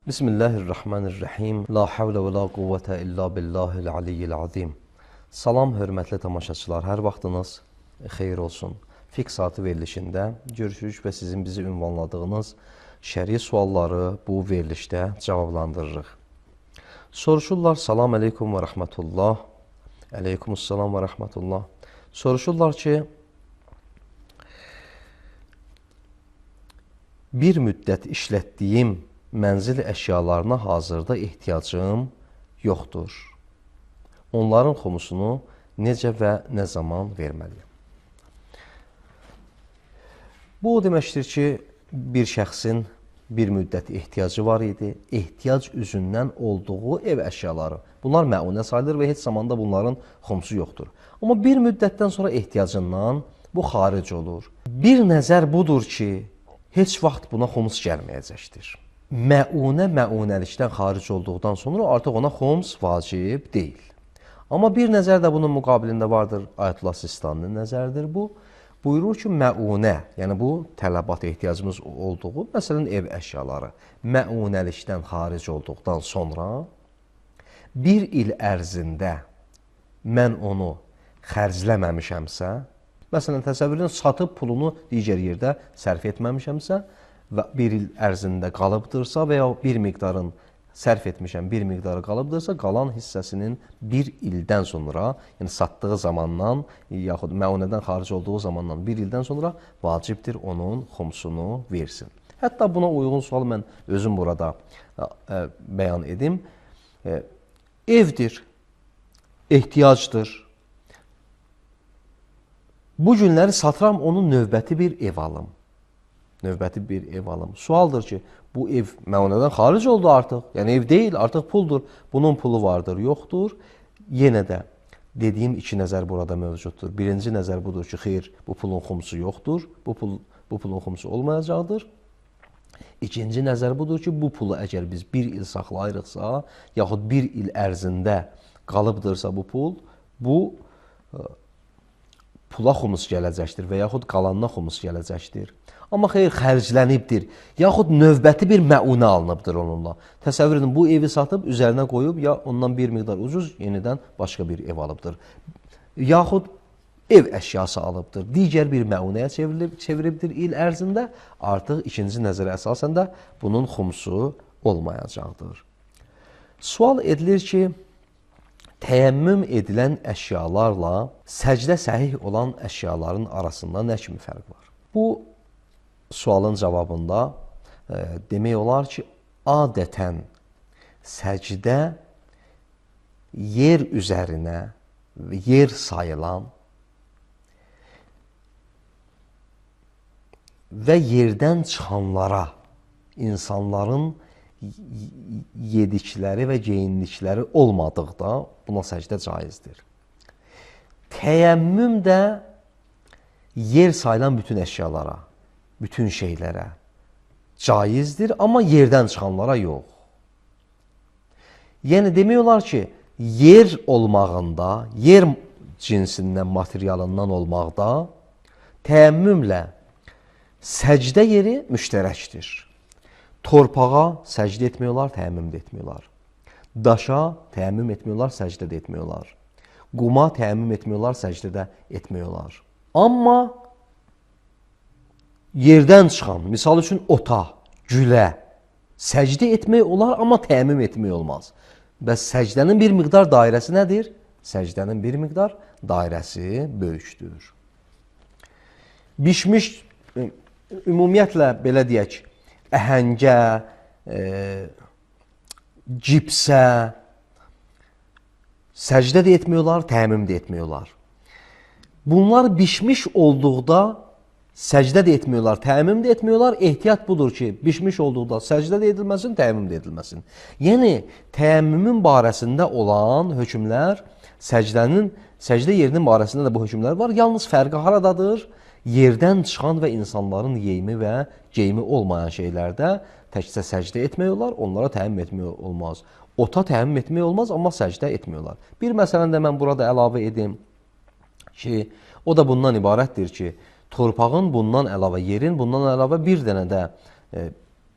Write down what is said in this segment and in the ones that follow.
Bismillahirrahmanirrahim. La havlə və la quvvətə illa billahil aliyyil azim. Salam, hörmətli tamaşaçılar. Hər vaxtınız xeyir olsun. Fiqh saatı verilişində görüşürük və sizin bizi ünvanladığınız şəri sualları bu verilişdə cavablandırırıq. Soruşurlar, salam aleykum və rəhmətullah. Aleykumussalam və rəhmətullah. Soruşurlar ki, bir müddət işlətdiyim mənzil əşyalarına hazırda ehtiyacım yoxdur. Onların xumusunu necə və nə zaman verməliyəm? Bu o deməkdir ki, bir şəxsin bir müddət ehtiyacı var idi, ehtiyac üzündən olduğu ev əşyaları. Bunlar məunə sayılır və heç zamanda bunların xumusu yoxdur. Amma bir müddətdən sonra ehtiyacından bu xaric olur. Bir nəzər budur ki, heç vaxt buna xumus gəlməyəcəkdir. Məunəlikdən xaric olduqdan sonra artıq ona xums vacib deyil. Amma bir nəzər də bunun müqabilində vardır. Ayətullah Sistaninin nəzəridir bu. Buyurur ki, məunə, yəni bu tələbat ehtiyacımız olduğu, məsələn, ev əşyaları məunəlikdən xaric olduqdan sonra bir il ərzində mən onu xərcləməmişəmsə, məsələn, təsəvvür edin, satıb pulunu digər yerdə sərf etməmişəmsə, və bir il ərzində qalıbdırsa və ya bir miqdarın sərf etmişəm, bir miqdarı qalıbdırsa, qalan hissəsinin bir ildən sonra, yəni satdığı zamandan, yaxud məunədən xaric olduğu zamandan bir ildən sonra vacibdir onun xumsunu versin. Hətta buna uyğun sual mən özüm burada bəyan edim. Evdir, ehtiyacdır. Bu günləri satıram, onun növbəti bir ev alım. Növbəti bir ev alım. Sualdır ki, bu ev məunədən xaric oldu artıq. Yəni ev deyil, artıq puldur. Bunun pulu vardır, yoxdur. Yenə də dediyim iki nəzər burada mövcuddur. Birinci nəzər budur ki, xeyr, bu pulun xumusu yoxdur. Bu pulun xumusu olmayacaqdır. İkinci nəzər budur ki, bu pulu əgər biz bir il saxlayırıqsa, yaxud bir il ərzində qalıbdırsa bu pul, bu pula xumus gələcəkdir və yaxud qalanına xumus gələcəkdir. Amma xeyr, xərclənibdir, yaxud növbəti bir məunə alınıbdır onunla. Təsəvvür edin, bu evi satıb, üzərinə qoyub, ya ondan bir miqdar ucuz, yenidən başqa bir ev alıbdır. Yaxud ev əşyası alıbdır, digər bir məunəyə çeviribdir il ərzində, artıq ikinci nəzərə əsasən də bunun xumusu olmayacaqdır. Sual edilir ki, təyəmmüm edilən əşyalarla səcdə səhih olan əşyaların arasında nə kimi fərq var? Bu sualın cavabında demək olar ki, adətən səcdə yer üzərinə yer sayılan və yerdən çıxanlara insanların yedikləri və geyindikləri olmadıqda buna səcdə caizdir. Təyəmmüm də yer sayılan bütün əşyalara, bütün şeylərə caizdir, amma yerdən çıxanlara yox. Yəni demək olar ki, yer olmağında, yer cinsindən, materialından olmaqda təyəmmümlə səcdə yeri müştərəkdir. Torpağa səcdə etmək olar, təyəmmüm də etmək olar. Daşa təyəmmüm etmək olar, səcdə də etmək olar. Quma təyəmmüm etmək olar, səcdə də etmək olar. Amma yerdən çıxan, misal üçün ota, gülə səcdə etmək olar, amma təyəmmüm etmək olmaz. Bəs səcdənin bir miqdar dairəsi nədir? Səcdənin bir miqdar dairəsi böyükdür. Bişmiş, ümumiyyətlə belə deyək, əhəngə, cipsə səcdə də etmək olar, təyəmmüm də etmək olar. Bunlar bişmiş olduqda səcdə də etmək olar, təyəmmüm də etmək olar. Ehtiyat budur ki, bişmiş olduqda səcdə də edilməsin, təyəmmüm də edilməsin. Yəni, təyəmmümün barəsində olan hökmlər, səcdə yerinin barəsində də bu hökmlər var. Yalnız fərqi haradadır? Yerdən çıxan və insanların yeyimi və geyimi olmayan şeylərdə təkcə səcdə etmək olar, onlara təyəmmüm etmək olmaz. Ota təyəmmüm etmək olmaz, amma səcdə etmək olar. Bir məsələni də mən burada əlavə edim ki, o da bundan ibarətdir ki, torpağın bundan əlavə, yerin bundan əlavə bir dənə də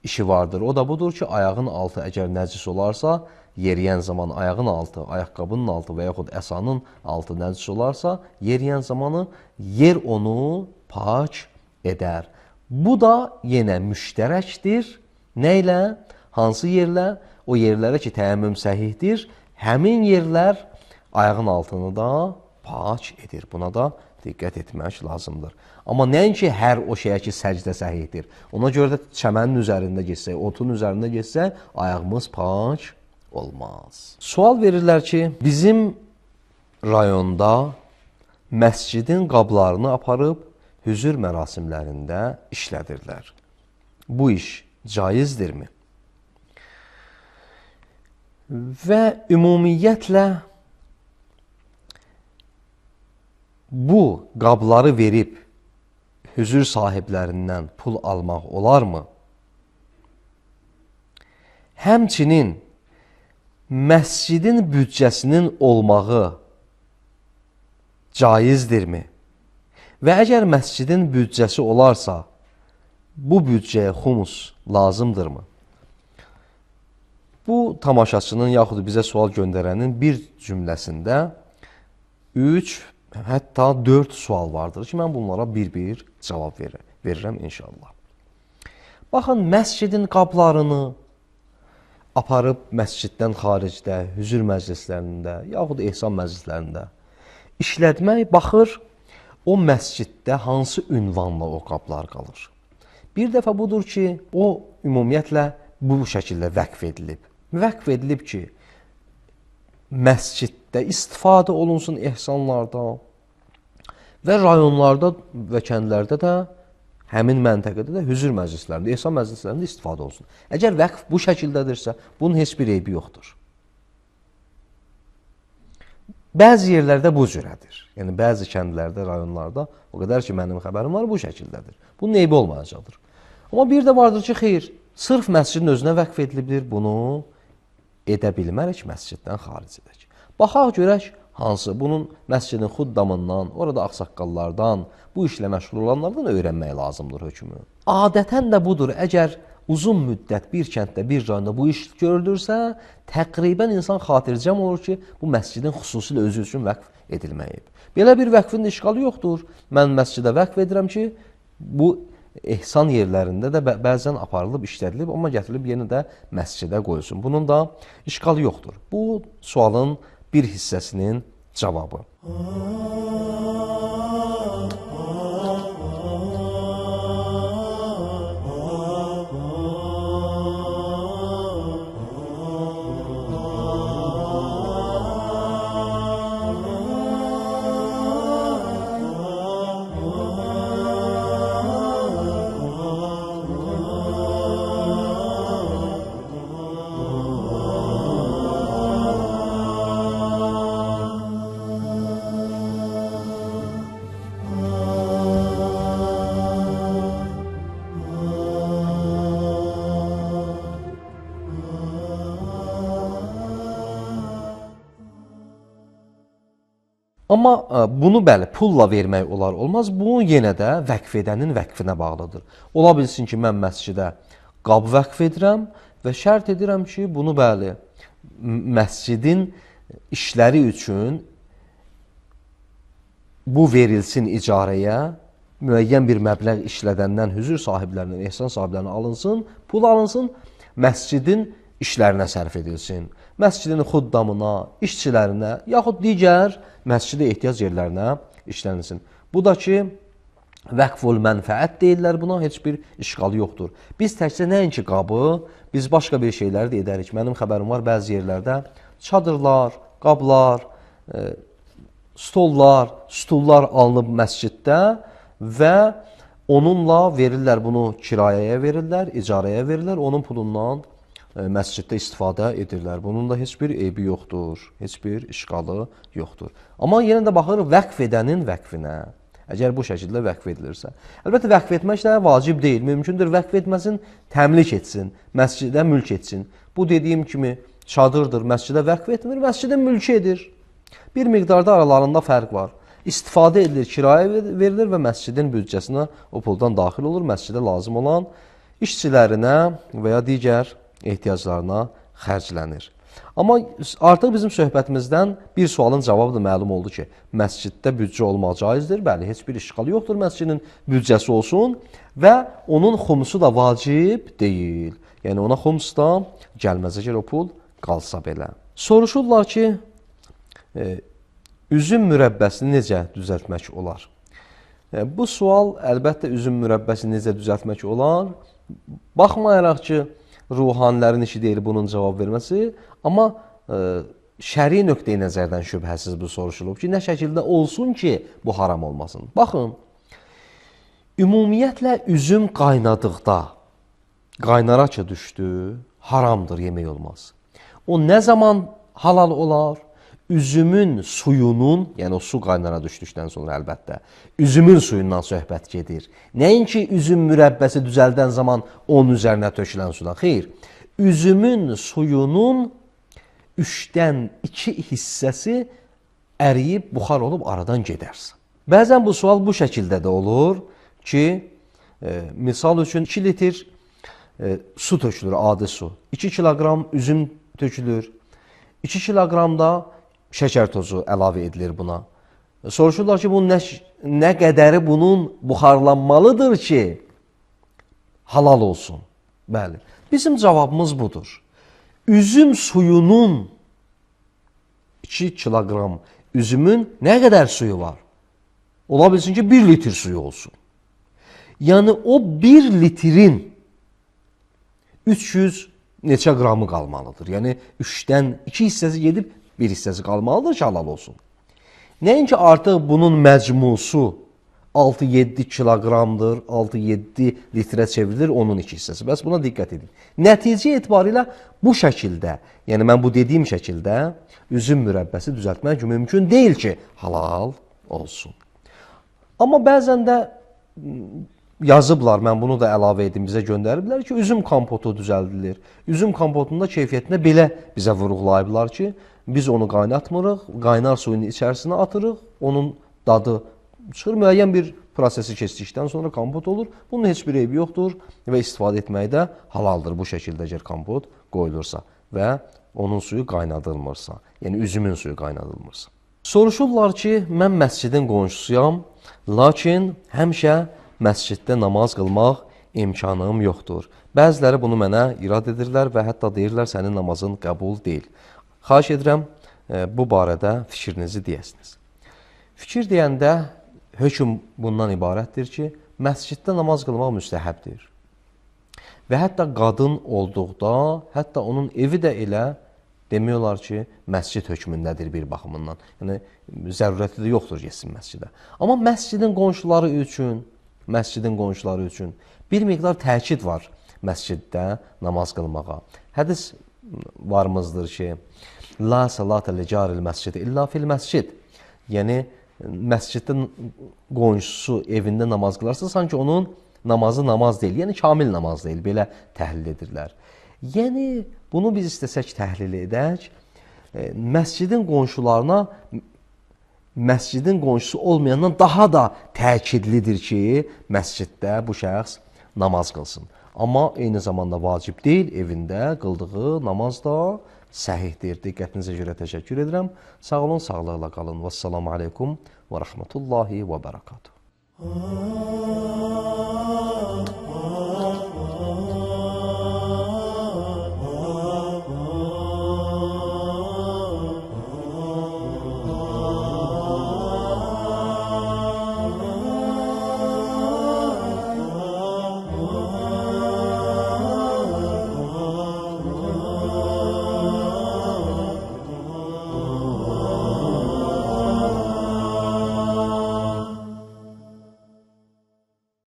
işi vardır. O da budur ki, ayağın altı əgər nəcis olarsa, yeriyən zaman ayağın altı, ayaqqabının altı və yaxud əsanın altı nəcis olarsa, yeriyən zamanı yer onu pak edər. Bu da yenə müştərəkdir. Nə ilə? Hansı yerlə? O yerlərə ki, təyəmmüm səhihdir. Həmin yerlər ayağın altını da pak edir. Buna da diqqət etmək lazımdır. Amma nəinki hər o şeyə ki, səcdə səhihdir. Ona görə də çəmənin üzərində geçsək, otun üzərində geçsək, ayağımız pak olmaz. Sual verirlər ki, bizim rayonda məscidin qablarını aparıb hüzür mərasimlərində işlədirlər. Bu iş caizdirmi? Və ümumiyyətlə bu qabları verib hüzür sahiblərindən pul almaq olarmı? Həmçinin məscidin büdcəsinin olmağı caizdirmi? Və əgər məscidin büdcəsi olarsa, bu büdcəyə xumus lazımdırmı? Bu tamaşaçının yaxud bizə sual göndərənin bir cümləsində 3, hətta 4 sual vardır ki, mən bunlara bir-bir cavab verirəm inşallah. Baxın, məscidin qablarını aparıb məsciddən xaricdə, hüzür məclislərində, yaxud ehsan məclislərində işlətmək baxır, o məsciddə hansı ünvanla o qablar qalır. Bir dəfə budur ki, o ümumiyyətlə bu şəkildə vəqf edilib. Vəqf edilib ki, məsciddə istifadə olunsun ehsanlarda və rayonlarda və kəndlərdə də həmin məntəqədə də hüzür məclislərində, ehsan məclislərində istifadə olsun. Əgər vəqf bu şəkildədirsə, bunun heç bir eybi yoxdur. Bəzi yerlərdə bu cürədir. Yəni, bəzi kəndlərdə, rayonlarda, o qədər ki, mənim xəbərim var, bu şəkildədir. Bunun eybi olmayacaqdır. Amma bir də vardır ki, xeyr, sırf məscidin özünə vəqf edilibdir, bunu edə bilmərək məsciddən xaric edək. Baxaq, görək, hansı bunun məscidin xuddamından, orada ağsaqqallardan, bu işlə məşğul olanlardan öyrənmək lazımdır hökmü. Adətən də budur, əgər uzun müddət bir kənddə, bir rayonda bu iş görülürsə, təqribən insan xatircəm olur ki, bu məscidin xüsusilə özü üçün vəqf edilməyib. Belə bir vəqfin işğalı yoxdur. Mən məscidə vəqf edirəm ki, bu ehsan yerlərində də bəzən aparılıb, işlədilib, amma gətirilib yenə də məscidə qoyulsun. Bunun da işğalı yoxdur. Bu sualın bir hissəsinin cavabı. Amma bunu bəli, pulla vermək olar, olmaz. Bu yenə də vəqf edənin vəqfinə bağlıdır. Ola bilsin ki, mən məscidə qab vəqf edirəm və şərt edirəm ki, bunu bəli, məscidin işləri üçün bu verilsin icarəyə, müəyyən bir məbləğ işlədəndən hüzur sahiblərindən, ehsan sahiblərindən alınsın, pul alınsın, məscidin işlərinə sərf edilsin. Məscidin xuddamına, işçilərinə, yaxud digər məscidə ehtiyac yerlərinə işlənilsin. Bu da ki, vəqful mənfəət deyirlər buna, heç bir işğalı yoxdur. Biz təkcə nəinki qabı, biz başqa bir şeyləri də edərik. Mənim xəbərim var, bəzi yerlərdə çadırlar, qablar, stullar alınıb məsciddə və onunla verirlər, bunu kirayəyə verirlər, icarəyə verirlər, onun pulundan məsciddə istifadə edirlər. Bunun da heç bir eybi yoxdur, heç bir işğalı yoxdur. Amma yenə də baxır vəqf edənin vəqfinə, əgər bu şəkildə vəqf edilirsə. Əlbəttə, vəqf etmək də vacib deyil, mümkündür vəqf etməsin, təmlik etsin, məscidə mülk etsin. Bu dediyim kimi çadırdır, məscidə vəqf etmir, məscidə mülk edir. Bir miqdarda aralarında fərq var. İstifadə edilir, kirayə verilir və məscidin büdcəsinə o puldan daxil olur, məscidə lazım olan işçilərinə və ya digər ehtiyaclarına xərclənir. Amma artıq bizim söhbətimizdən bir sualın cavabı da məlum oldu ki, məsciddə büdcə olmaq caizdir. Bəli, heç bir işğalı yoxdur məscidin büdcəsi olsun və onun xumsu da vacib deyil. Yəni ona xums da gəlməz əgər o pul qalsa belə. Soruşurlar ki, üzüm mürəbbəsini necə düzəltmək olar? Bu sual əlbəttə üzüm mürəbbəsini necə düzəltmək olar? Baxmayaraq ki, ruhanilərin işi deyil bunun cavab verməsi, amma şəri nöqteyi nəzərdən şübhəsiz bu soruşulub ki, nə şəkildə olsun ki, bu haram olmasın. Baxın, ümumiyyətlə üzüm qaynadıqda, qaynara ki düşdü, haramdır, yemək olmaz. O nə zaman halal olar? Üzümün suyunun, yəni o su qaynara düşdükdən sonra əlbəttə, üzümün suyundan söhbət gedir. Nəinki üzüm mürəbbəsi düzəldən zaman onun üzərinə tökülən sudan. Xeyr, üzümün suyunun 3-dən 2 hissəsi əriyib, buxar olub aradan gedərsə. Bəzən bu sual bu şəkildə də olur ki, misal üçün 2 litr su tökülür, adi su. 2 kiloqram üzüm tökülür. 2 kiloqram da şəkər tozu əlavə edilir buna. Soruşurlar ki, bunun nə qədəri bunun buxarlanmalıdır ki, halal olsun? Bəli, bizim cavabımız budur. Üzüm suyunun 2 kiloqram üzümün nə qədər suyu var? Ola bilsin ki, 1 litr suyu olsun. Yəni, o 1 litrin 300 neçə qramı qalmalıdır. Yəni, 3-dən 2 hissəsi gedib, bir hissəsi qalmalıdır ki, halal olsun. Nəinki artıq bunun məcmusu 6-7 kiloqramdır, 6-7 litrə çevrilir onun 2 hissəsi. Bəs buna diqqət edin. Nəticə etibarilə bu şəkildə, yəni mən bu dediyim şəkildə üzüm mürəbbəsi düzəltmək mümkün deyil ki, halal olsun. Amma bəzən də yazıblar, mən bunu da əlavə edim, bizə göndəriblər ki, üzüm kompotu düzəldilir. Üzüm kompotunda keyfiyyətində belə bizə vurğulayıblar ki, biz onu qaynatmırıq, qaynar suyun içərisinə atırıq, onun dadı çıxır, müəyyən bir prosesi keçdikdən sonra kompot olur. Bunun heç bir eybi yoxdur və istifadə etməkdə halaldır bu şəkildə əgər kompot qoyulursa və onun suyu qaynadılmırsa, yəni üzümün suyu qaynadılmırsa. Soruşurlar ki, mən məscidin qonşusuyam, lakin həmişə məsciddə namaz qılmaq imkanım yoxdur. Bəziləri bunu mənə irad edirlər və hətta deyirlər, sənin namazın qəbul deyil. Xahiş edirəm, bu barədə fikrinizi deyəsiniz. Fikir deyəndə hökm bundan ibarətdir ki, məsciddə namaz qılmaq müstəhəbdir. Və hətta qadın olduqda, hətta onun evi də elə demək olar ki, məscid hökmündədir bir baxımından. Yəni, zərurəti də yoxdur getsin məscidə. Amma məscidin qonşuları üçün bir miqdar təkid var məsciddə namaz qılmağa. Hədis varımızdır ki, La salatə li caril məscid illa fil məscid. Yəni, məsciddə qonşusu evində namaz qılarsa, sanki onun namazı namaz deyil, yəni kamil namaz deyil, belə təhlil edirlər. Yəni, bunu biz istəsək təhlil edək, məscidin qonşularına, məscidin qonşusu olmayandan daha da təkidlidir ki, məsciddə bu şəxs namaz qılsın. Amma eyni zamanda vacib deyil, evində qıldığı namaz da səhihdir. Diqqətinizə görə təşəkkür edirəm. Sağ olun, sağlıqla qalın. Vəssalamu aleykum və rəhmətullahi və bərəkatuhu.